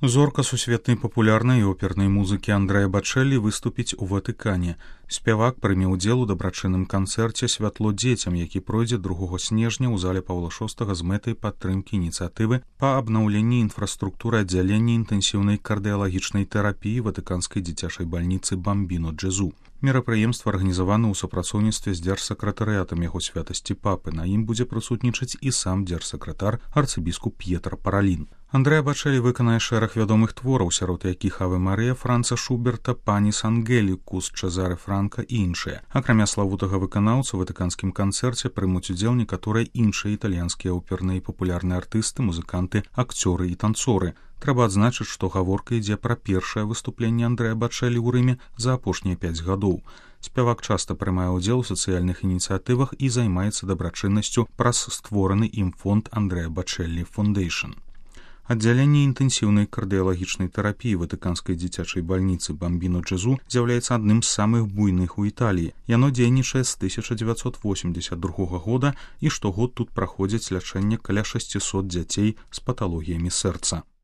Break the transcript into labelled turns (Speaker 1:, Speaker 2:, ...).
Speaker 1: Зорка сусветнай папулярнай і опернай музыкі Андрэа Бачэлі выступіць у Ватыкане. Спявак прыме ўдзел у дабрачынным канцэрце «Святло дзецям», які пройдзе 2 снежня ў зале Паўла VI з мэтай падтрымкі ініцыятывы па абнаўленні інфраструктуры аддзялення інтэнсіўнай кардыялагічнай тэрапіі ватыканскай дзіцячай бальніцы «Бамбіно Джэзу». Мерапрыемства арганізавана ў супрацоўніцтве з дзяржсакратарыятам яго святасці папы. На ім будзе прысутнічаць і сам дзяржсакратар арцыбіскуп П'етр Паралін. Андрэа Бачэлі выканае шэраг вядомых твораў, сярод якіх «Аве Марыя» Франца Шуберта, «Паніс Ангелікус» Чэзаре Франка і іншыя. Акрамя славутага выканаўца, у ватыканскім канцэрце прымуць удзел некаторыя іншыя італьянскія оперныя і папулярныя артысты, музыканты, акцёры і танцоры. Трэба адзначыць, што гаворка ідзе пра першае выступленне Андрэа Бачэлі ў Рыме за апошнія 5 гадоў. Спявак часта прымае ўдзел у сацыяльных ініцыятывах і займаецца дабрачыннасцю праз створаны ім фонд Андрэа Бачэлі Фондейшн. Аддзяленне інтэнсіўнай кардыялагічнай тэрапіі ватыканскай дзіцячай бальніцы «Бамбіно Джэзу» з'яўляецца адным з самых буйных у Італіі. Яно дзейнічае з 1982 года і штогод тут праходзіць лячэнне каля 600 дзяцей з паталогіямі сэрца.